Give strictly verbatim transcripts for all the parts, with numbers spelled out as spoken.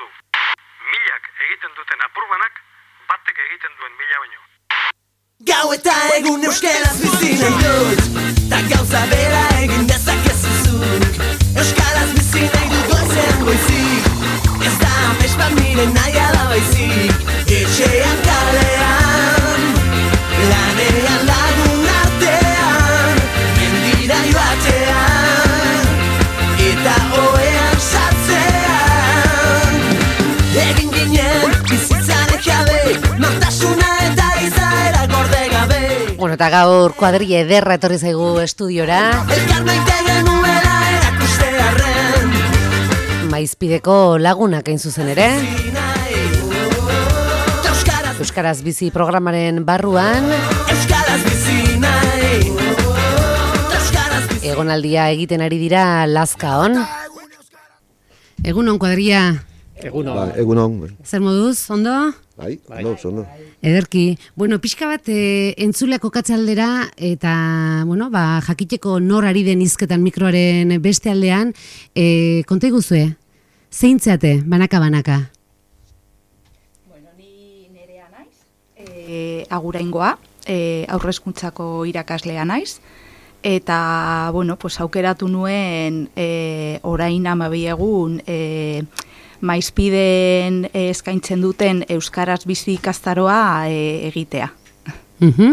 du. Milak egiten duten apurbanak, batek egiten duen mila baino. Gau eta egun euskaraz bizi nahi dut, ta gauza bera egin dezakezu zuk. Euskaraz bizi nahi dut goizean goizik, ez da amespa miren nahi ala baizik. Etxean kalean, lanean lagun artean, mendira joatean, eta oean sartzean. Egin ginen bizitzaren jabe, nortasuna eta izaera gorde gabe. Bueno, eta gaur kuadrille ederra etorri zaigu estudiora. Elkar maite genuela erakustearren, Maizpideko lagunak hain zuzen ere. Euskaraz bizi programaren barruan. Euskaraz bizi nahi. Egonaldia egiten ari dira Lazkaon. Egunon kuadrilla. Egunon. Ba, egunon. Zer moduz, ondo? Bai, ondo, ondo. Ederki. Bueno, pixka bat e, entzuleak okatzaldera eta, bueno, ba, jakiteko nor ari den hizketan mikroaren beste aldean, e, konta iguzue, zeintzeate, banaka-banaka? Bueno, ni nerea naiz, e, aguraingoa, e, aurrezkuntzako irakaslea naiz, eta, bueno, pues, aukeratu nuen e, orain amabi egun e, Maizpiden e, eskaintzen duten Euskaraz bizi ikastaroa e, egitea. Uh-huh.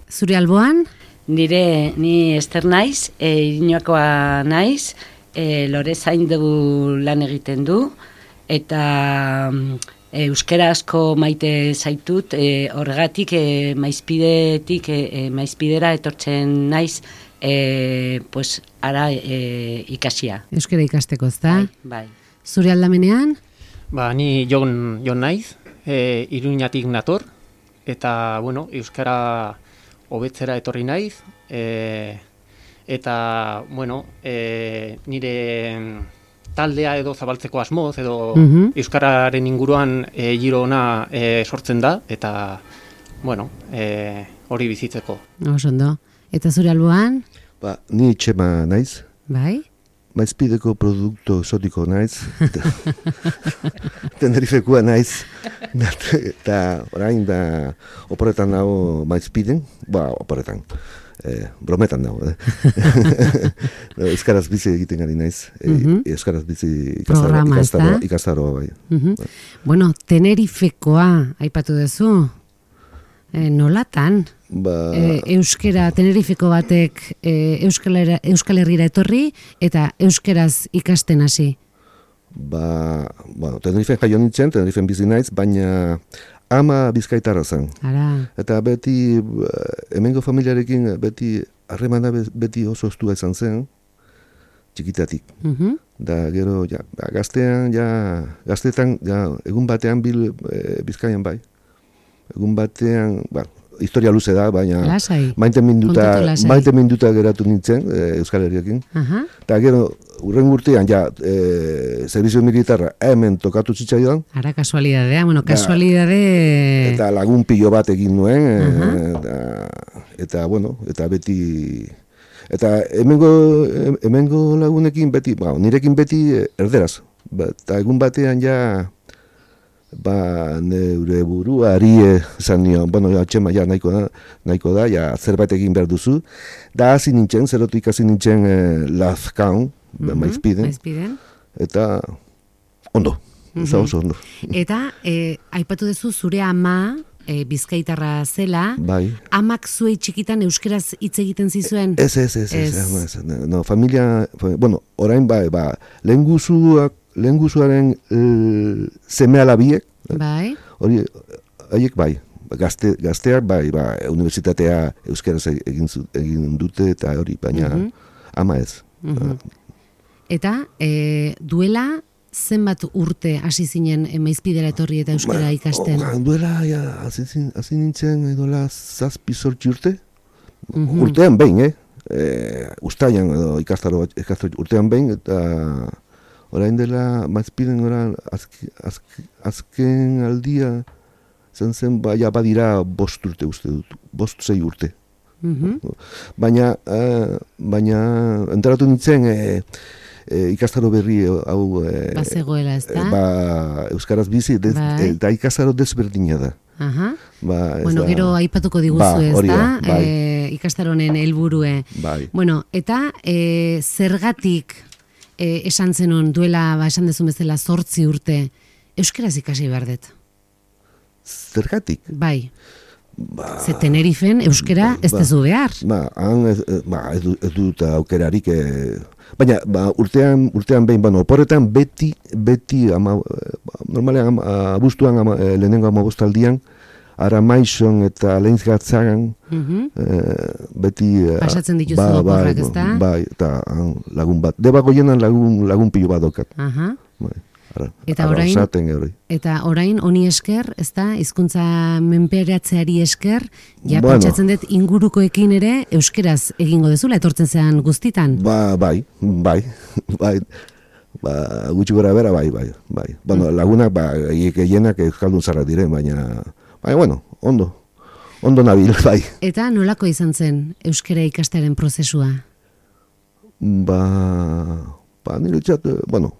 Zure alboan? Nire, ni Ester naiz, e, Iriñakoa naiz, e, Lore zaindu lan egiten du, eta e, euskarazko maite zaitut, e, horregatik e, Maizpidetik, e, Maizpidera etortzen naiz, e, pues, ara e, ikasia. Euskara ikasteko, ezta? Bai, bai. Zure aldamenean? Ba, ni Jon, Jon naiz, e, Iruñatik nator, eta, bueno, euskara hobetzera etorri naiz, e, eta, bueno, e, nire taldea edo zabaltzeko asmoz, edo uh-huh. euskararen inguruan e, giro ona e, sortzen da, eta, bueno, e, hori bizitzeko. Oso ondo. Eta zure alboan? Ba, ni Txema naiz. Bai? Maizpideko produkto exotiko naiz. Tenerifekoa naiz. Eta orain da oporretan nago Maizpiden. Ba, oporretan. Eh, brometan nago. Eh. Euskaraz bizi egiten gari naiz. Uh-huh. Euskaraz bizi ikastaroa, ikastaroa bai. Uh-huh. Bai. Bueno, Tenerifekoa aipatu duzu. E, nolatan? Ba... E, euskera, Tenerifeko batek e, Euskal, Euskal Herrira etorri eta euskeraz ikasten hasi? Ba, bueno, Tenerifen jaio nintzen, Tenerifen bizi naiz, baina ama bizkaitarra zen. Ara. Eta beti, hemengo familiarekin beti harremana beti oso estua izan zen, txikitatik. Uh-huh. Da, gero, ja, gaztean, ja, gaztetan, ja, egun batean bil e, Bizkaian bai. Egun batean, ba, historia luze da, baina maite minduta, maite minduta geratu nintzen e, Euskal Herriakin. Uh-huh. Eta gero, urren urtean, ja, e, servizio militarra hemen tokatu zitzaidan. Ara, kasualidadea, bueno, kasualidade... Eta lagun pilo bat egin nuen, uh-huh. eta, eta, bueno, eta beti... Eta hemengo, hemengo lagunekin beti, ba, nirekin beti erderaz. Ba, eta egun batean, ja... Ba, neure buruari esan nion, bueno, ja, Txema, ja, nahiko da, nahiko da, ja, zerbait egin behar duzu. Da, hasi nintzen, zerotik hasi nintzen eh, Lazkaon, uh-huh. Maizpiden. Maizpiden. Eta, ondo, uh-huh. Eta oso ondo. Eta, eh, aipatu duzu zure ama, eh, bizkaitarra zela, bai. Amak zuei txikitan euskeraz hitz egiten zizuen? Ez, ez, ez, ez, ez, ez, no, familia, bueno, orain bai, ba, lehen guzuak, lehen guzuaren e, seme-alabiek, bai. Hori, haiek bai, gazte, gazteak bai, ba, unibertsitatea euskaraz egin, egin dute eta hori, baina uh-huh. ama ez. Uh-huh. Eta, e, duela zenbat urte hasi zinen Maizpidera etorri eta euskara ba, ikasten? O, duela, ja, hasi, hasi nintzen edola zazpi zortzi urte, uh-huh. urtean behin, eh? E, ustaian edo ikastaro, ikastaro urtean behin, eta... Orain dela, Maizpiden orain, azke, azke, azken aldia, zen zen, baina badira bost urte uste dut, bost zei urte. Mm-hmm. Baina, uh, baina, enteratu nintzen, e, e, ikastaro berri hau e, Bazegoela, ez da? ba, euskaraz bizi, dez, Bai. eta ikastaro desberdina da. Aha. Ba, ez Bueno, da- gero aipatuko diguzu, Ba, ez hori da? da, bai. E, ikastaronen helburue. Bai. Bueno, eta e, zergatik e, esan zenon duela, ba, esan dezun bezala, zortzi urte, euskaraz ikasi behar dut. Zergatik? Bai. Ba, Ze Tenerifen euskara ez ba, dezu behar. Ba, han ez, ba, ez, du- ez dut aukerarik, e, baina ba, urtean, urtean behin, bueno, oporretan beti, beti, ama, e, ba, normalean ama, abuztuan ama, e, lehenengo amabostaldian, Aramaizon eta Lehenzgatzagan, Mhm. e, beti... e, Pasatzen dituzu ba, oporrak, bai, ezta? Bai, eta han, lagun bat. Debago jenan lagun, lagun pilo bat dokat. Aha. Bai, ara, Eta ara orain- osaten hori. Eta orain honi esker, ez da, hizkuntza menperatzeari esker, ja Bueno. pentsatzen dut ingurukoekin ere euskeraz egingo dezula, etortzen zean guztitan. Ba, bai, bai, bai, ba, gutxi gora bera, bai, bai, bai. Bueno, lagunak, ba, gehienak euskaldun zarra diren, baina, bai, bueno, ondo, ondo nabil, bai. Eta nolako izan zen euskara ikastearen prozesua? Ba, ba, nire txat, eh, bueno,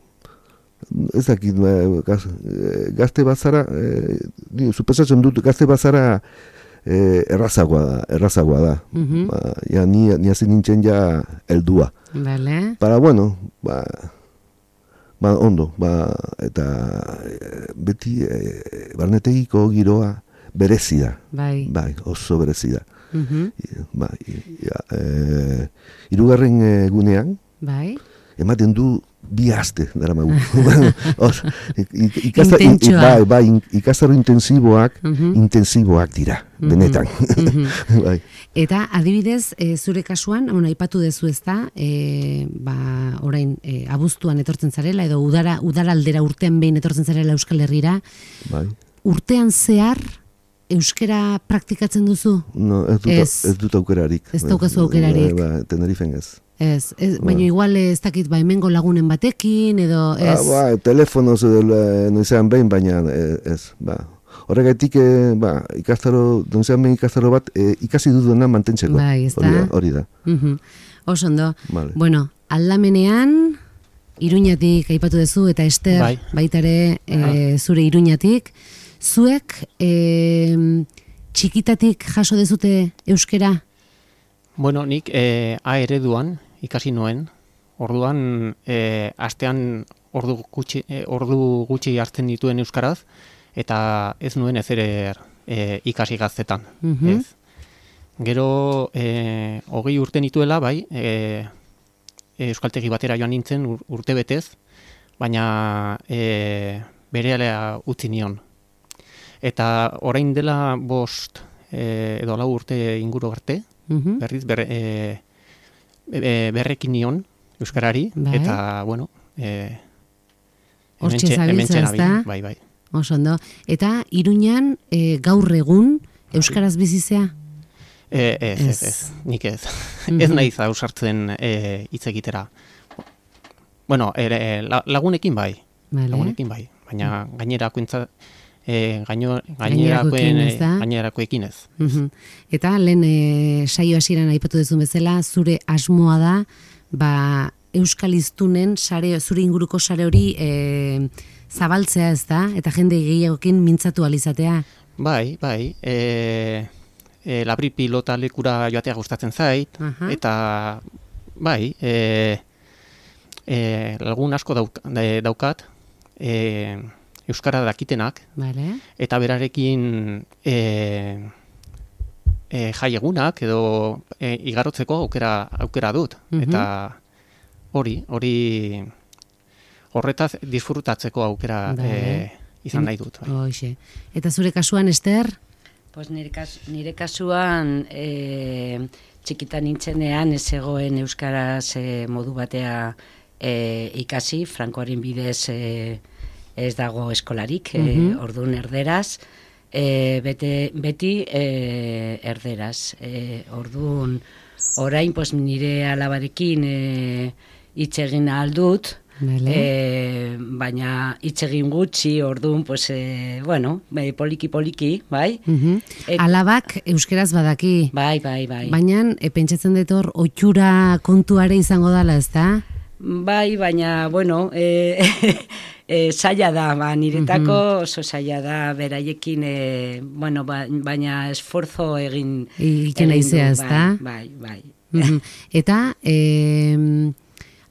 ez dakit, eh, gaz, eh, gazte bazara, eh, ni supesatzen dut, gazte bazara eh, errazagoa da, errazagoa da. Mhm. Ba, ja, ni, ni hasi nintzen ja heldua. Bale? Para, bueno, ba, ba, ondo, ba, eta eh, beti eh, barnetegiko giroa berezi da, Bai. bai, oso berezi da. Mhm. Ba, ja, eh, hirugarren egunean, Bai. ematen du bi aste dara magu. Os, ik- ikasta- i- i- Intentsoa. bai, bai, in- ikastaro intensiboak, Mhm. intensiboak dira, benetan. Bai. Eta adibidez, e, zure kasuan, bueno, aipatu dezu ez da, e, ba, orain e, abuztuan etortzen zarela, edo udara, udaraldera urtean behin etortzen zarela Euskal Herrira, Bai. urtean zehar euskera praktikatzen duzu? No, ez dut, Ez. ez dut aukerarik. Ez daukazu aukerarik. Ba, ba, Tenerifen ez. Ez, ez baina igual ez dakit ba hemengo lagunen batekin, edo ez. Ah, ba, telefonoz edo eh, noizean behin, baina eh, ez, ba. Horregatik, eh, ba, ikastaro, noizean behin ikastaro bat, eh, ikasi duduna mantentzeko. Bai, ez da? Hori da, hori da. Mhm. Oso ondo. Vale. Bueno, aldamenean, Iruñatik aipatu duzu, eta Ester Bai. baitare e, zure Iruñatik. Zuek e, txikitatik jaso dezute euskera? Bueno, nik eh, A ereduan ikasi nuen. Orduan eh, astean ordu gutxi, eh, ordu gutxi hartzen dituen euskaraz eta ez nuen ezer eh, ikasi gaztetan. Mhm. Ez. Gero eh, hogei urte nituela, bai, eh, euskaltegi batera joan nintzen ur- urte betez, baina eh, berehala utzi nion. Eta orain dela bost eh, edo lau urte inguru arte, Mhm. berriz ber, e, e, berrekin nion euskarari, Bai. eta, bueno, e, Hortxe hementxe- zabiltza, hementxe nabil, ezta? bai, bai. Oso ondo. Eta Iruñan e, gaur egun euskaraz bizizea? E, ez, ez, Ez. ez, nik ez. Mhm. Ez naiz ausartzen e, hitz egitera. Bueno, ere, la- lagunekin bai, Vale. lagunekin bai, baina gainerakoentza, e, gaino, Gainerakoekin, gainerakoen, ez da? gainerakoekin ez. Mhm. Eta lehen e, saio hasieran aipatu duzun bezala, zure asmoa da, ba, euskal hiztunen sare, zure inguruko sare hori e, zabaltzea, ez da? Eta jende gehiagokin mintzatu alizatea. Bai, bai, e, e, labri pilota lekura joatea gustatzen zait, Aha. eta bai, e, e, lagun asko dauk, da- daukat, e, euskara dakitenak, Vale. eta berarekin e, e, jai egunak edo e, igarotzeko aukera, aukera dut. Mhm. Eta hori, hori horretaz disfrutatzeko aukera Bai. e, izan nahi dut. Bai. Hoxe. Eta zure kasuan, Ester? Pues nire, kas, nire kasuan e, txikitan nintzenean ez zegoen euskaraz e, modu batea e, ikasi, Frankoaren bidez e, ez dago eskolarik, e, Mhm. orduan erderaz, e, bete, beti e, erderaz. E, orduan orain pues, nire alabarekin e, hitz egin ahal dut, Vale. e, baina hitz egin gutxi, orduan, pues, e, bueno, e, poliki poliki, bai? Mhm. Et- Alabak euskeraz badaki. Bai, bai, bai. Baina, e, pentsatzen dut hor, oitxura kontuare izango dala, ez da? Bai, baina, bueno, e, e, zaila da, ba, niretako oso zaila da, beraiekin, e, bueno, ba, baina esforzo egin egiten aizea, ez da? Bai, bai, bai. Mm-hmm. Eta, e,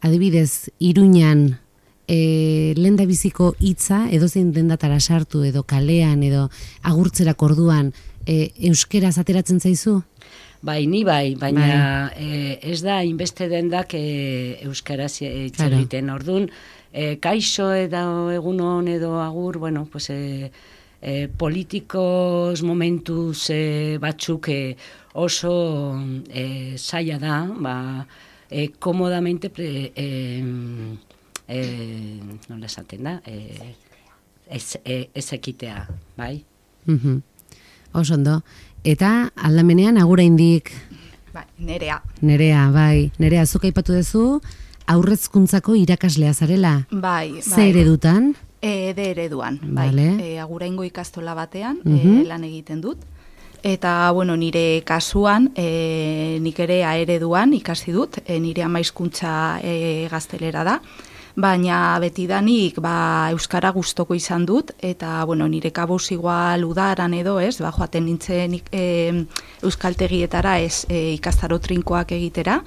adibidez, Iruñan, e, lenda biziko hitza edozein dendatara sartu edo kalean edo agurtzerak orduan e, euskeraz ateratzen zaizu? Bai, ni bai, baina bai. E, ez da inbeste dendak e, euskaraz hitz claro. egiten. Orduan, e, kaixo edo egunon edo agur, bueno, pues e, e, politikos momentuz e, batzuk e, oso e, zaila da, ba, e, komodamente pre, e, e, nola esaten da, e, ez, e, ez ekitea, bai? Mm-hmm. Oso ondo. Eta aldamenean agura indik. Bai, Nerea. Nerea, bai. Nerea, zuk aipatu duzu aurrezkuntzako irakaslea zarela. Bai, bai. Ze eredutan? E, de ereduan, bai. Vale. E, aguraingo ikastola batean Mhm. e, lan egiten dut. Eta, bueno, nire kasuan, e, nik ere A ereduan ikasi dut, e, nire ama hizkuntza e, gaztelera da. Baina betidanik ba, euskara gustoko izan dut, eta bueno, nire kabuz igual udaran edo ez, ba, joaten nintzen e, euskaltegietara ez e, ikastaro trinkoak egitera,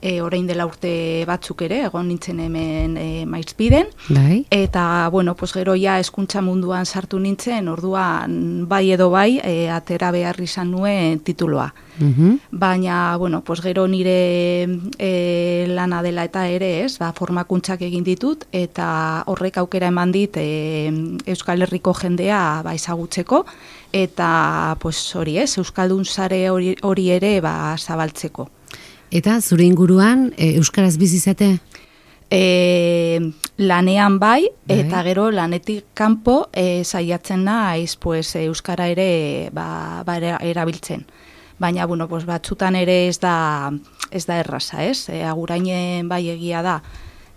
e, orain dela urte batzuk ere, egon nintzen hemen e, Maizpiden, Bai. eta bueno, pues gero ja hezkuntza munduan sartu nintzen, orduan bai edo bai, e, atera behar izan nuen tituloa. Mhm. Baina, bueno, pues gero nire e, lana dela eta ere ez, ba, formakuntzak egin ditut, eta horrek aukera eman dit e, Euskal Herriko jendea ba, ezagutzeko, eta pues, hori ez, Euskaldun sare hori, hori ere ba, zabaltzeko. Eta zure inguruan e, euskaraz bizi zate? E, lanean bai, Bai. eta gero lanetik kanpo e, saiatzen naiz pues, euskara ere ba, ba, era- erabiltzen. Baina, bueno, pues, batzutan ere ez da, ez da erraza, ez? E, agurainen bai egia da,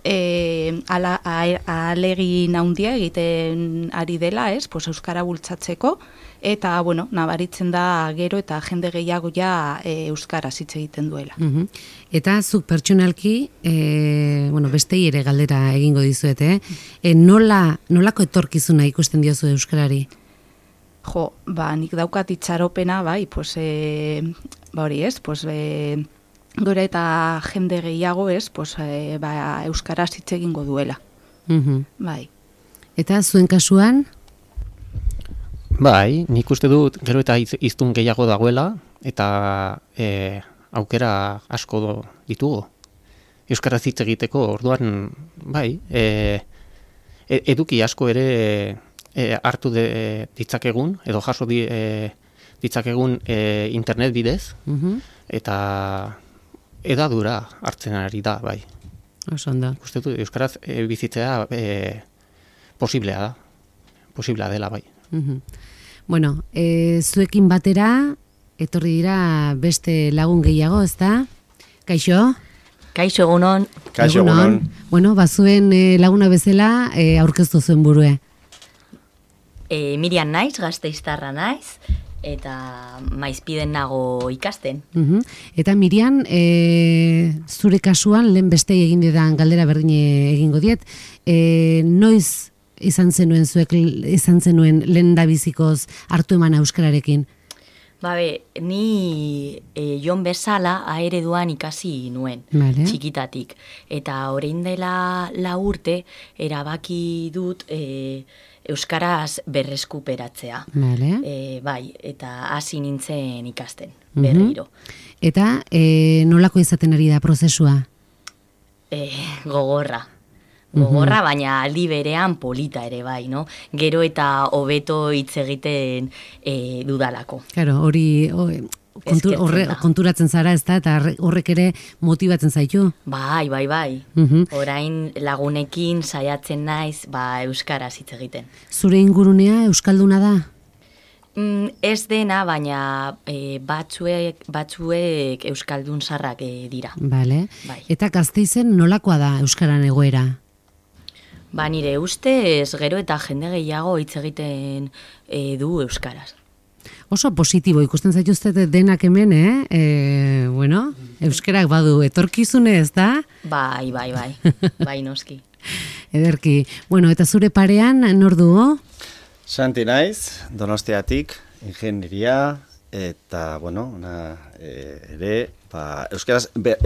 e, ala, a- ahalegin handia egiten ari dela, ez? Pues, euskara bultzatzeko, eta, bueno, nabaritzen da gero eta jende gehiago ja e, euskaraz hitz egiten duela. Mhm. Eta zuk pertsonalki, e, bueno, bestei ere galdera egingo dizuete, eh? E, nola, nolako etorkizuna ikusten diozu euskarari? Jo, ba, nik daukat itxaropena, bai, pues, e, ba hori ez, pues, e, gora eta jende gehiago ez, pues, e, ba, euskaraz hitz egingo duela, Mhm. bai. Eta zuen kasuan? Bai, nik uste dut gero eta iz- hiztun gehiago dagoela, eta e, aukera asko do, ditugu. Euskaraz hitz egiteko, orduan, bai, e, e- eduki asko ere e, hartu de, ditzakegun, edo jaso di, e, ditzakegun e, internet bidez, Mhm. eta edadura hartzen ari da, bai. Oso ondo. Uste dut, euskaraz e, bizitzea e, posiblea da, posiblea dela, bai. Mhm. Bueno, e, zuekin batera, etorri dira beste lagun gehiago, ezta? Kaixo? Kaixo egunon, Kaixo egunon. Bueno, bazuen e, laguna bezala e, aurkeztu zuen burue. e, Miriam naiz, Gasteiztarra naiz, eta Maizpiden nago ikasten. Mhm. Eta Miriam, e, zure kasuan, lehen beste egin didan galdera berdin egingo diet, e, noiz izan zenuen zuek, izan zenuen lehen da bizikoz hartu eman euskararekin? Babe, ni e, jon bezala aereduan ikasi nuen, Vale. txikitatik. Eta orain dela lau urte, erabaki dut e, euskaraz berreskuperatzea. Vale. E, bai, eta hasi nintzen ikasten, Mhm. berriro. Eta e, nolako izaten ari da prozesua? E, gogorra. Gogorra, baina aldi berean polita ere bai, no? Gero eta hobeto hitz egiten e, dudalako. Claro, hori o, kontu, Eskertzen horre, da. konturatzen zara, ezta, eta horre- horrek ere motibatzen zaitu. Bai, bai, bai. Mhm. Orain lagunekin saiatzen naiz, ba, euskaraz hitz egiten. Zure ingurunea euskalduna da? Mm, ez dena, baina e, batzuek, batzuek euskaldun sarrak e, dira. Vale. Bai. Eta Gasteizen nolakoa da euskaran egoera? Ba, nire ustez, gero eta jende gehiago hitz egiten e, du euskaraz. Oso positibo, ikusten zaituzte denak hemen, eh? E, bueno, euskerak badu etorkizune, ez da? Bai, bai, bai, bai noski. Ederki. Bueno, eta zure parean, nor dugu? Santi naiz, Donostiatik, ingenieria, eta, bueno, na, e, ere, ba, euskeraz, be,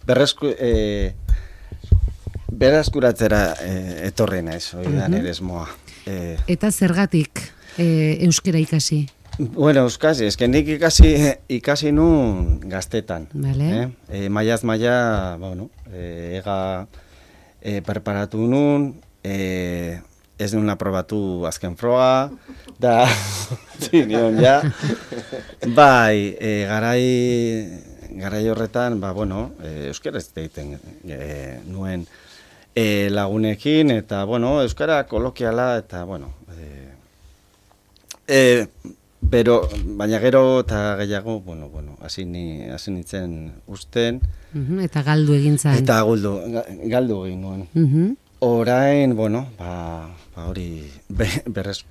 berresku, e, berazkuratzera e, etorri naiz, hori da nire esmoa. E, eta zergatik e, euskera ikasi? Bueno, euskasi, eske nik ikasi, ikasi nun gaztetan. Vale. Eh? E, maiaz maia, bueno, e, ega e, preparatu nun, e, ez nuen aprobatu azken froga, da, zinion, ja. Bai, e, garai, garai horretan, ba, bueno, e, euskara ez deiten e, nuen e, lagunekin, eta, bueno, euskara kolokiala, eta, bueno, e, e, bero, baina gero eta gehiago, bueno, bueno, hasi ni, hasi nintzen usten. Uh-huh, eta galdu egin zain. Eta galdu, galdu egin nuen. Uh-huh. Orain, bueno, ba, ba hori be, berez,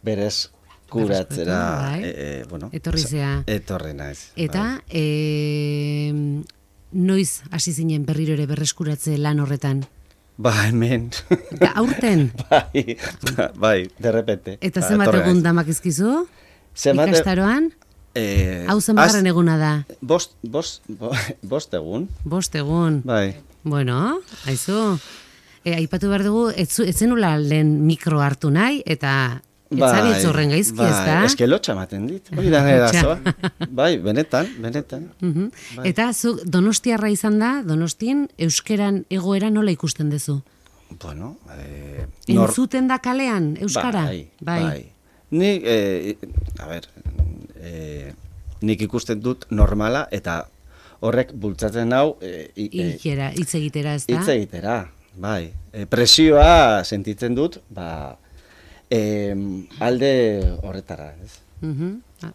berez kuratzera, bai. e, e, bueno, etorri zea. Etorri naiz. Eta, bai. e, noiz hasi zinen berriro ere berreskuratze lan horretan? Ba, hemen. Eta aurten? bai, bai, derrepente. Eta ba, zenbat egun damak izkizu? Zenbat ikastaroan? Eh, Hau zenbagarren eguna da? Bost, bost, bost egun. Bost egun. Bai. Bueno, haizu. E, aipatu behar dugu, etzenula lehen mikro hartu nahi, eta etzabitz horren gaizki, bai, ez da? Ez que lotxa ematen dit, hori da nire dazoa. Bai, benetan, benetan. Uh-huh. Bai. Eta zu donostiarra izan da, Donostien, euskeran egoera nola ikusten duzu? Bueno, eh, nor... Entzuten da kalean, euskara? Bai, bai. bai. Nik, eh, a ber, eh, nik ikusten dut normala, eta horrek bultzatzen hau... Eh, Ikera, hitz egitera, ez da? Hitz egitera, bai. E, presioa sentitzen dut, ba, e, alde horretara, ez? Uh-huh.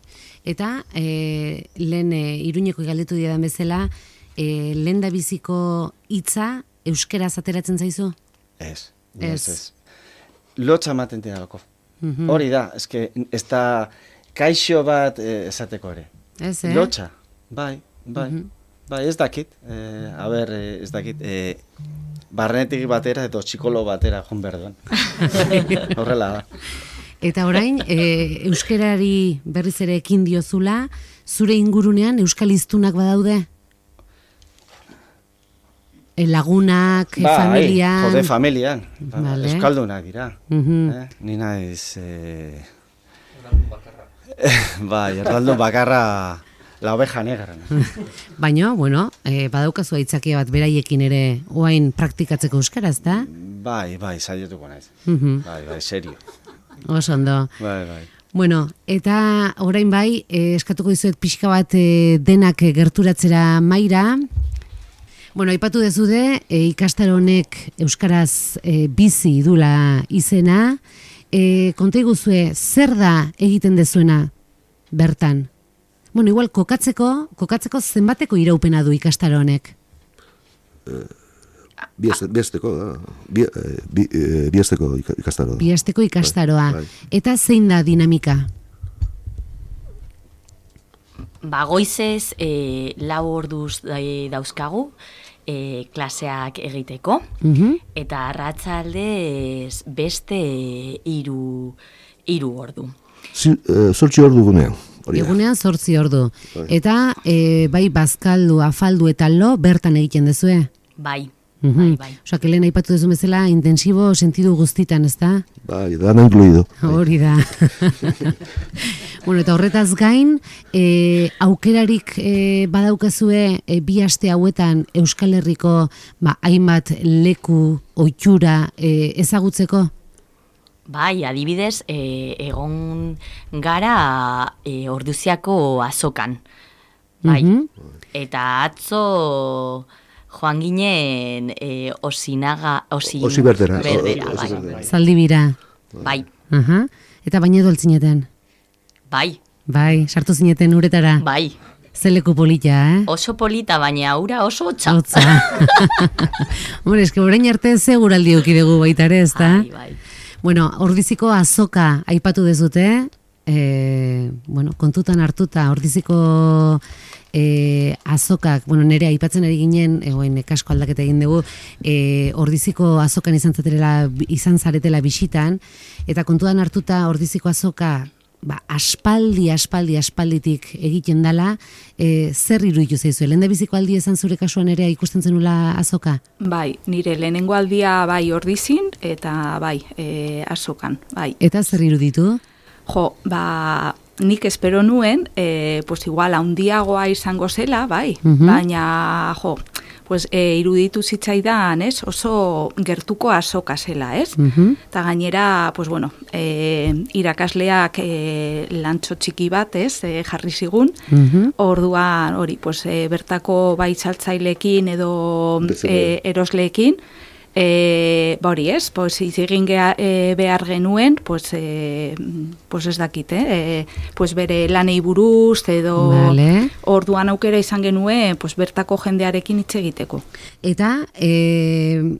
Eta, e, lehen e, Iruñeko galdetu diadan bezala, e, lehen da biziko hitza euskeraz ateratzen zaizu? Ez, ez, ez. Lotxa ematen didalako. Uh-huh. Hori da, eske, ez da kaixo bat e, esateko ere. Ez, eh? Lotxa, bai, bai. Uh-huh. Bai, ez dakit, e, a ber, ez dakit, e, barrenetik batera edo txikolo batera joan berduan. Horrela da. Eta orain, e, euskerari berriz ere ekin diozula, zure ingurunean euskal hiztunak badaude? E, lagunak, ba, familian? Jode, familian. Ba, vale. Euskaldunak dira. Uh-huh. eh? Ni naiz... Eh... bai, erdaldun bakarra... La oveja negra. Baina, bueno, eh, badaukazu aitzakia bat beraiekin ere oain praktikatzeko euskaraz, da? Bai, bai, saietuko naiz. Uh-huh. Bai, bai, serio. Oso ondo. Bai, bai. Bueno, eta orain bai, eh, eskatuko dizuet pixka bat eh, denak gerturatzera maira. Bueno, aipatu dezude, eh, ikastaro honek euskaraz eh, bizi dula izena. Eh, konta iguzue, zer da egiten dezuena bertan? Bueno, igual, kokatzeko, kokatzeko zenbateko iraupena du ikastaro honek? Eh, Biesteko da, bi, bi, biesteko ikastaro da. Biesteko ikastaroa. Bai, bai. Eta zein da dinamika? Ba, goizez e, lau orduz dauzkagu e, klaseak egiteko, uh-huh. eta arratsaldez beste hiru hiru ordu. Zortzi ordu gunean. Egunean zortzi ordu. Eta e, bai bazkaldu, afaldu eta lo bertan egiten dezue? Bai, uh-huh. bai, bai. Osa, que lehen aipatu dezu bezala intensibo sentidu guztitan, ez da? Bai, dana incluido. Hori da. Bueno, eta horretaz gain, e, aukerarik e, badaukazue e, bi aste hauetan Euskal Herriko ba, hainbat leku, ohitura e, ezagutzeko? Bai, adibidez, e, egon gara e, Orduziako azokan. Bai. Uh-huh. Eta atzo joan ginen e, osinaga... Osi, osi berdera. Berdera, o, bai. berdera. Zaldibira. Bai. Uh-huh. Eta baina edo altzineten? Bai. Bai, sartu zineten uretara? Bai. Zeleku polita, eh? Oso polita, baina ura oso hotza. Hotza. Hombre, eske orain arte seguraldi eduki dugu baita ere, ezta? Bai, bai. Bueno, Ordiziko azoka aipatu dezute, e, bueno, kontutan hartuta Ordiziko e, azokak, bueno, nire aipatzen ari ginen, egoen kasko aldaketa egin dugu, e, Ordiziko azokan izan zaretela, izan zaretela bisitan, eta kontutan hartuta Ordiziko azoka, ba, aspaldi, aspaldi, aspalditik egiten dala, e, zer iruditu zaizu? Lehen biziko aldi ezan zure kasuan ere ikusten zenula azoka? Bai, nire lehenengo aldia bai Ordizin, eta bai, e, azokan, bai. Eta zer iruditu? Jo, ba, nik espero nuen, e, pues igual handiagoa izango zela, bai, Mhm. baina, jo, pues e, iruditu zitzaidan, ez, oso gertuko azoka zela, ez? Mhm. Eta gainera, pues bueno, e, irakasleak e, lantxo txiki bat, ez, e, jarri zigun, Mhm. orduan, hori, pues e, bertako bai saltzaileekin edo Bezala. e, erosleekin, E, ba hori ez, pues, izigin gea, e, behar genuen, pues, e, pues ez dakit, eh? E, pues bere lanei buruz, edo Vale. orduan aukera izan genuen, pues bertako jendearekin hitz egiteko. Eta e,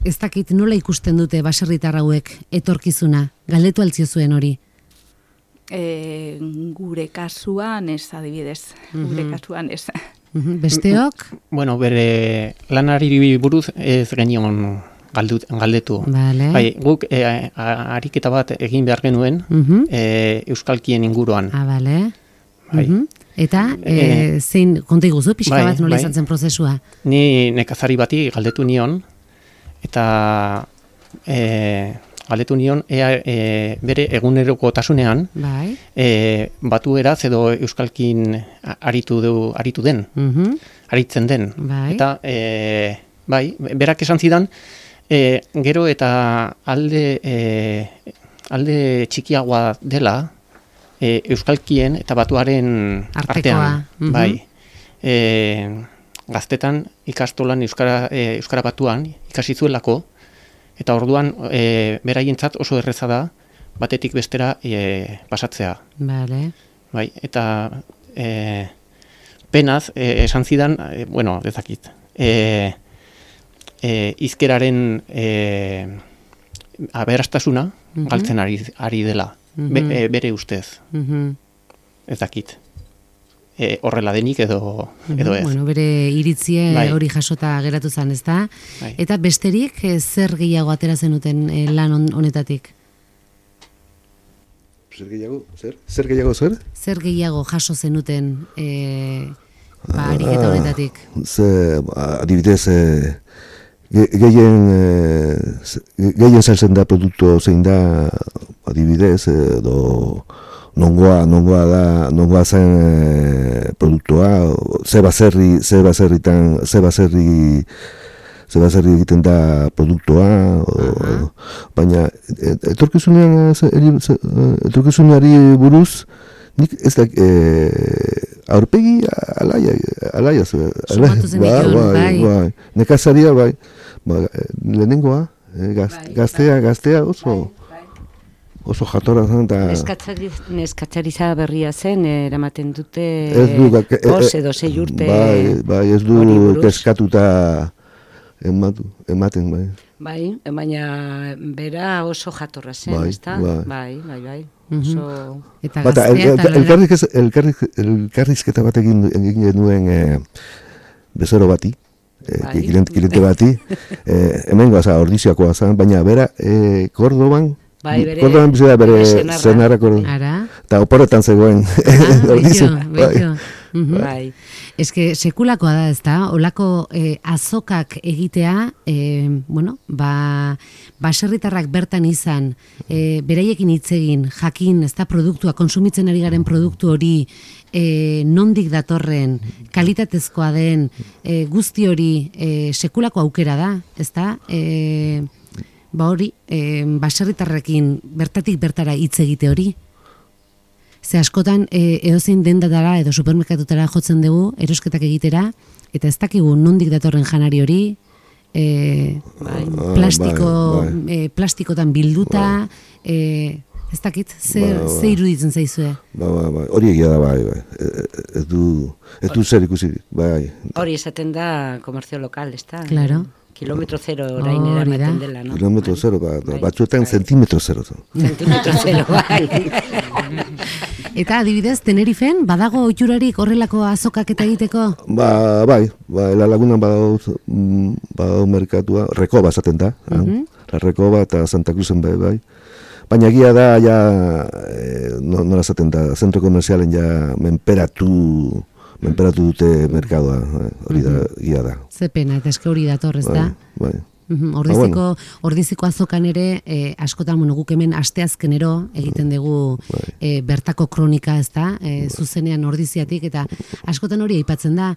ez dakit nola ikusten dute baserritar hauek etorkizuna, galdetu altzio zuen hori. E, gure kasuan ez, adibidez, gure Mhm. kasuan ez. Mhm. Besteok? Bueno, bere lanari buruz ez genion galdu, galdetu. Vale. Bai, guk e, a- ariketa bat egin behar genuen Mhm. e, euskalkien inguruan. Ah, bale. Bai. Mhm. Eta e, Eh, zein, konta iguzu, pixka bai, bat nola bai. izan zen prozesua? Ni nekazari bati galdetu nion, eta e, galdetu nion ea e, bere egunerokotasunean Bai. e, batueraz edo euskalkin a- aritu, du, aritu den, Mhm. aritzen den. Bai. Eta e, bai, berak esan zidan, e, gero eta alde, e, alde txikiagoa dela e, euskalkien eta batuaren Artekoa, artean. mhm. Bai. E, gaztetan ikastolan euskara, e, euskara batuan ikasi zuelako, eta orduan e, beraientzat oso erreza da batetik bestera e, pasatzea. Vale. Bai, eta e, penaz, e, esan zidan, e, bueno, ezakit, e, e, izkeraren e, aberastasuna Mhm. galtzen ari, ari dela, be, Mhm. e, bere ustez, Mhm. ez dakit. E, horrela denik edo, edo ez. Bueno, bere iritzie Bai. hori jasota geratu zen, ezta? Bai. Eta besterik eh, zer gehiago atera zenuten eh, lan hon- honetatik? Zer gehiago, zer? Zer gehiago, zer? Zer gehiago jaso zenuten eh, ba, ariketa honetatik? Ze, ba, adibidez, e, ge- gehien, e, ze- gehien saltzen da produktu zein da, adibidez, edo nongoa, nongoa da, nongoa zen e, produktua, ze baserri, ze baserritan, ze baserri, ze baserri egiten da produktua, o, baina et- etorkizunean, ze- eri- ze- etorkizunari buruz, nik ez da, e, aurpegi alaia, alaia, Sumatu zenituen, bai. bai, nekazaria, bai, ba, lehenengoa, e, gaz, Bai, gaztea, gaztea oso, oso jatorra zen, eta Neskatzari, neskatzariza berria zen, eramaten dute ez du, gak- e- bost e- edo sei urte. bai, bai, ez hori du buruz. kezkatuta ematu, ematen, bai. Bai, baina bera oso jatorra zen, Bai, ezta? bai. Bai, bai, bai. Mhm. Oso... Eta Bata, el, gaztea el, eta elkarrizkez- elkarriz- elkarrizketa bat egin, egin genuen e, bezero bati, e, Bai. kilente, kilente bati, e, hemen goza, ordizioakoa zen, baina bera, e, Kordoban, Bai, bere- Kordoban bizi da bere bere senarra. senarra Kordoban. Ara? Eta oporretan zegoen. Ah, ordizio, bello, bello. Mhm. Bai. Ez que sekulakoa da, ez da, olako eh, azokak egitea, eh, bueno, ba, baserritarrak bertan izan, eh, beraiekin hitz egin, jakin, ez da, produktua, konsumitzen ari garen produktu hori, eh, nondik datorren, kalitatezkoa den, eh, guzti hori eh, sekulako aukera da, ez da, eh, ba hori, eh, baserritarrekin bertatik bertara hitz egite hori. Ze askotan e, edozein dendatara edo supermerkatutara jotzen dugu erosketak egitera, eta ez dakigu nondik datorren janari hori, e, Ah, plastiko, bai, bai. e, plastikotan bilduta, e, ez dakit, ze, Bai, bai. ze iruditzen zaizue? Ba, ba, ba, hori egia da, bai, bai. E, e, ez du, ez du zer ikusi, bai. Hori esaten da komerzio lokal, ezta? Claro. Kilometro zero orain Hori da. eramaten dela, no? Kilometro Bai. zero, ba, Bai, batzuetan bai. zentimetro zero. Zentimetro zero, bai. Eta adibidez, Tenerifen, badago oiturarik horrelako azokak eta egiteko? Ba, bai, ba, la lagunan badago, mm, badago merkatua, Rekoba esaten da, uh -huh. La Rekoba eta Santa Cruzen bai, bai. Baina egia da, ja, eh, no, nola esaten da, zentro komerzialen ja menperatu, menperatu dute merkadoa, hori da, egia da. Ze pena, eta eske hori dator, ez da? Bai, bai. Ordiziko, ordiziko azokan ere, eh, askotan bueno, guk hemen asteazkenero egiten dugu eh, bertako kronika, ez da, eh, zuzenean ordiziatik, eta askotan hori aipatzen da,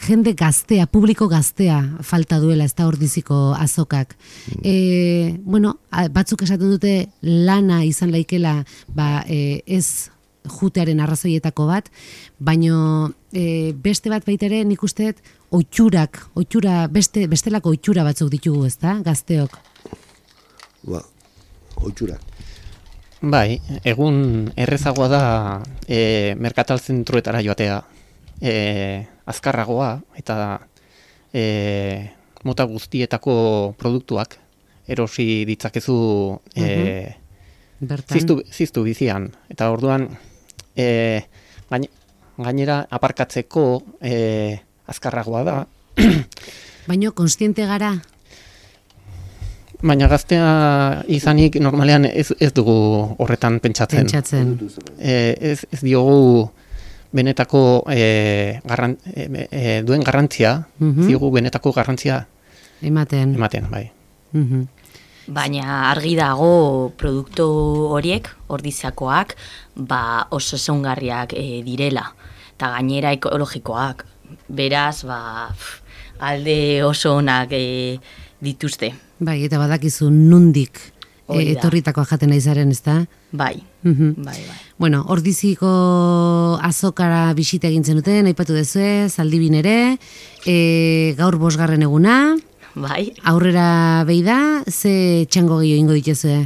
jende gaztea, publiko gaztea falta duela, ez da ordiziko azokak. Eh, bueno, batzuk esaten dute lana izan laikela, ba, eh, ez jutearen arrazoietako bat, baino e, beste bat baitere nik usteet oitxurak, oitxura, beste, bestelako oitxura batzuk ditugu, ez da, gazteok? Ba, oitxurak. Bai, egun errezagoa da e, merkatal zentruetara joatea, e, azkarragoa eta e, mota guztietako produktuak erosi ditzakezu e, ziztu, ziztu bizian, eta orduan E, gain, gainera aparkatzeko e, azkarragoa da. Baina konstiente gara? Baina gaztea izanik normalean ez, ez dugu horretan pentsatzen. Pentsatzen. E, ez, ez diogu benetako e, garran, e, e, duen garrantzia, uh-huh. diogu benetako garrantzia ematen. Ematen, bai. Uh-huh. Baina argi dago produktu horiek, ordiziakoak, ba oso ezagungarriak e, direla, eta gainera ekologikoak. Beraz, ba, pff, alde oso onak e, dituzte. Bai, eta badakizu nundik e, etorritakoa jaten naizaren, ez da? Bai, uh-huh. bai, bai. Bueno, ordiziko azokara bisita egin zenuten, aipatu duzue, Zaldibin ere, e, gaur bosgarren eguna, bai. Aurrera behi da, ze txango gehiago ingo dituzue?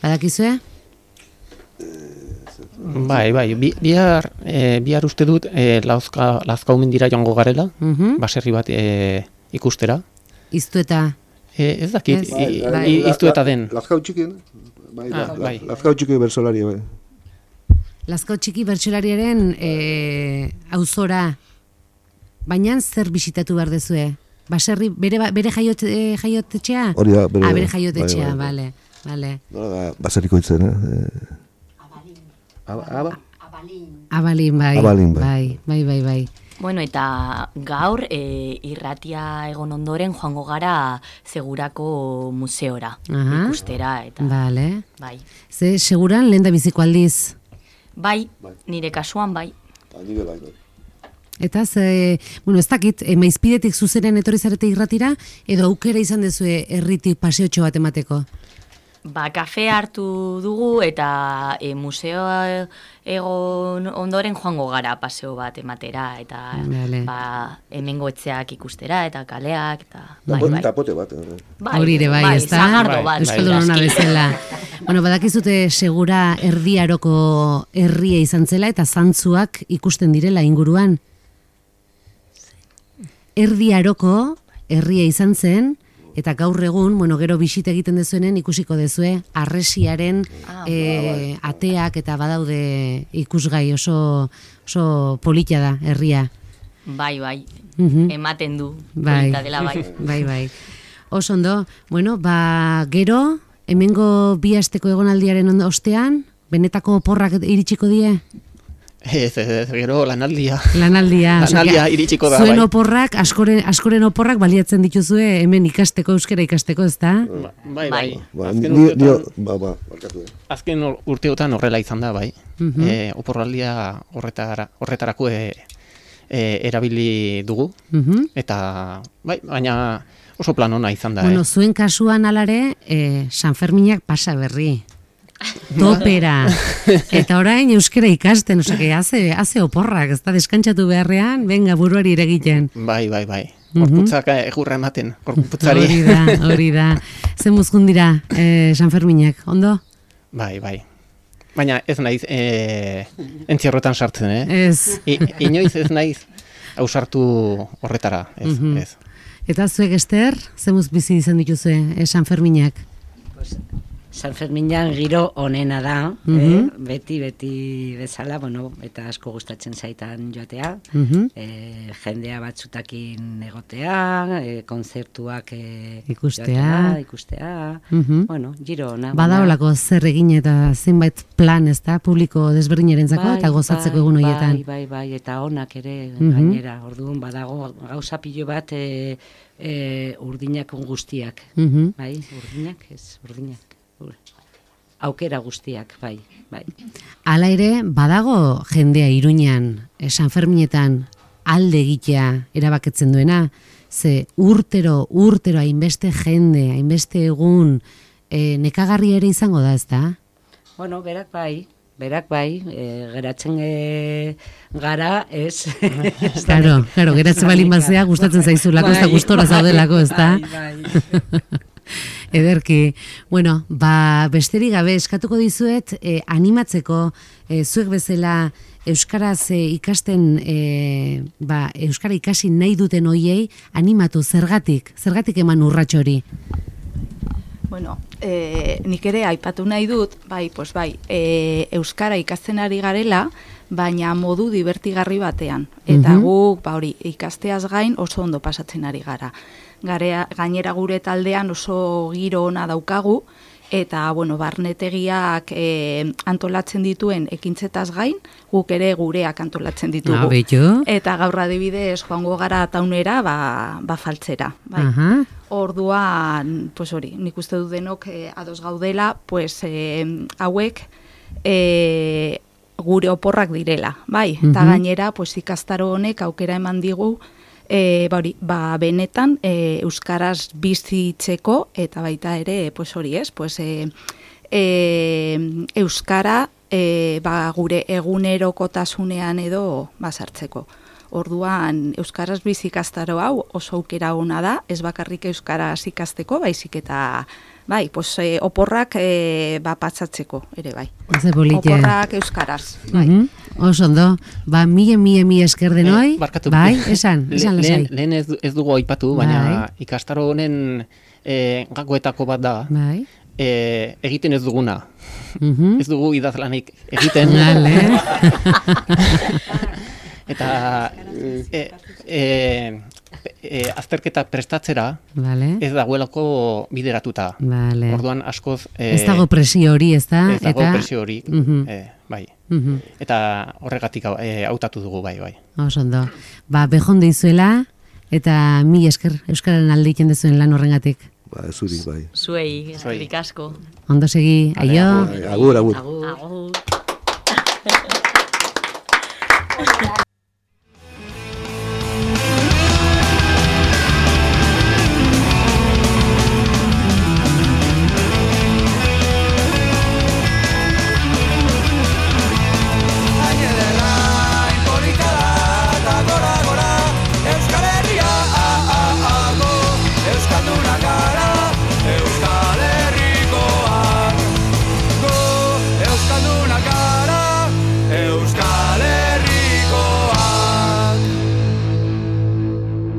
Badakizue? Bai, bai, Bi, bihar, e, bihar uste dut e, lauzka, Lazkau mendira joango garela, uh-huh. baserri bat e, ikustera. Iztu eta? E, ez dakit, iztu eta den. Lazkau txiki, bai, ah, bai. Lazkau txiki bersolari, bai. Lazkau txiki bertsolariaren e, auzora, baina zer bisitatu behar dezue? Baserri, bere, bere jaiot, e, jaiotetxea? Hori da, bere, ah, bere jaiotetxea, bai, bai. bale, bale. Nola da, baserriko itzen, eh? Abalin. Abalin, bai. Abalin, bai. Bai, bai, bai, bai. Bueno, eta gaur e, irratia egon ondoren joango gara Segurako museora, Aha. ikustera, eta... Vale. Bai. Ze, seguran lehen da biziko aldiz? Bai, nire kasuan bai. Nire bai, bai. Eta ze, bueno, ez dakit, e, maizpidetik zuzenen etorri zarete irratira, edo aukera izan dezue herritik paseotxo bat emateko? Ba, kafe hartu dugu eta e, museoa egon ondoren joango gara paseo bat ematera, eta vale. ba, hemengo etxeak ikustera, eta kaleak, eta... Bai, bai. Eta pote bat. Bai, hori ere bai, bai, ez da? zagardo bat. Euskaldun hona bezala. Bueno, badakizute Segura Erdi Aroko herria izan zela, eta zantzuak ikusten direla inguruan. Erdi Aroko herria izan zen, eta gaur egun, bueno, gero bisita egiten dezuenen ikusiko dezue, arresiaren ah, e, ateak eta badaude ikusgai oso, oso polita da herria. Bai, bai, uh-huh. ematen du, bai. polita dela bai. Bai, bai. Oso ondo, bueno, ba, gero, hemengo bi asteko egonaldiaren ostean, benetako oporrak iritsiko die? Ez, ez, ez, gero lanaldia. Lanaldia. Lanaldia iritsiko da, zuen bai. oporrak, askoren, askoren oporrak baliatzen dituzue hemen ikasteko, euskera ikasteko, ez da? Ba, bai, bai. Ba, azken, ni, urteotan, ni, ba, ba, barkatu, eh. azken urteotan horrela izan da, bai. Uh-huh. E, oporraldia horretara, horretarako e, e, erabili dugu. Uh-huh. Eta, bai, baina oso plan ona izan da. Bueno, eh. zuen kasuan alare, eh, San Ferminak pasa berri. Topera. Eta orain euskera ikasten, osake, haze, haze oporrak, ez da, deskantzatu beharrean, venga, buruari iregiten. Bai, bai, bai. Gorputzak uh-huh. egurra ematen, gorputzari. Hori da, hori da. Zen muzkun dira, eh, San Ferminak, ondo? Bai, bai. Baina ez naiz eh, entzierrotan sartzen, eh? Ez. I, inoiz ez naiz ausartu horretara, ez, uh-huh. ez. Eta zuek Ester, zen muz bizi izan dituzue, eh, San Ferminak? Pues, San Ferminan giro onena da, Mhm. eh? beti, beti bezala, bueno, eta asko gustatzen zaitan joatea, Mhm. eh, jendea batzutakin egotea, eh, konzertuak eh, Ikustea. joatea, ikustea, Mhm. bueno, giro ona. Badaolako zer egin eta zenbait plan, ez da, publiko desberdinerentzako eta gozatzeko egun horietan. Bai, bai, bai, eta onak ere Mhm. gainera, orduan badago gauza pilo bat e, e, urdinak guztiak, Mhm. bai, urdinak, ez, urdinak, ur- aukera guztiak, bai, bai. Hala ere, badago jendea Iruñan, eh, San Ferminetan alde egitea erabaketzen duena, ze urtero, urtero hainbeste jende, hainbeste egun, eh, nekagarria ere izango da, ez da? Bueno, berak bai, berak bai, e, geratzen e, gara, ez? Ez da Claro, nik- claro, geratzen balin bazea gustatzen zaizulako, ez da Bai, gustora bai, zaudelako, ez da? bai, bai. Ederki, bueno, ba, besterik gabe eskatuko dizuet eh, animatzeko eh, zuek bezala euskaraz eh, ikasten, eh, ba, euskara ikasi nahi duten hoiei animatu zergatik, zergatik eman urrats hori. Bueno, e, nik ere aipatu nahi dut, bai, pues bai, e, euskara ikasten ari garela, baina modu divertigarri batean. Eta Mhm. guk, ba hori, ikasteaz gain oso ondo pasatzen ari gara. Garea, gainera gure taldean oso giro ona daukagu, eta, bueno, barnetegiak e, antolatzen dituen ekintzetaz gain, guk ere gureak antolatzen ditugu. Ah, beitu. Eta gaur adibidez joango gara taunera, ba, ba faltzera. Bai. Aha. Orduan, pues hori, nik uste dut denok eh, ados gaudela, pues eh, hauek eh, gure oporrak direla, bai? Eta Mhm. gainera, pues ikastaro honek aukera eman digu, eh, ba, hori, ba benetan eh, euskaraz bizitzeko eta baita ere, pues hori, ez? Pues eh, eh, euskara eh, ba, gure egunerokotasunean edo basartzeko. Orduan, euskaraz bizi ikastaro hau oso aukera ona da, ez bakarrik euskaraz ikasteko, baizik eta bai, pues, eh, oporrak eh, ba, patsatzeko ere bai. Ze polite. Oporrak euskaraz. Bai. Mhm. Oso ondo, ba, mile, mile, mile esker denoi, Eh, barkatu. bai, esan, esan Le- lasai. lehen, lehen ez, du- ez dugu aipatu, baina Bai. ikastaro honen e, gakoetako bat da, Bai. e, egiten ez duguna. Mhm. Ez dugu idazlanik egiten. Vale. Eta e, e, e, azterketa prestatzera Vale. ez dagoelako bideratuta. Vale. Orduan askoz... E, Ez dago presio hori, ez da? Ez dago Eta- presio hori, Mhm. e, bai. Mhm. Eta horregatik hau- e, hautatu dugu, bai, bai. Oso ondo. Ba, bejon deizuela, eta mi esker Euskararen alde egiten dezuen lan horrengatik. Ba, zuri, bai. Zuei, eskerrik asko. Ondo segi, aio. Agur, agur. Agur.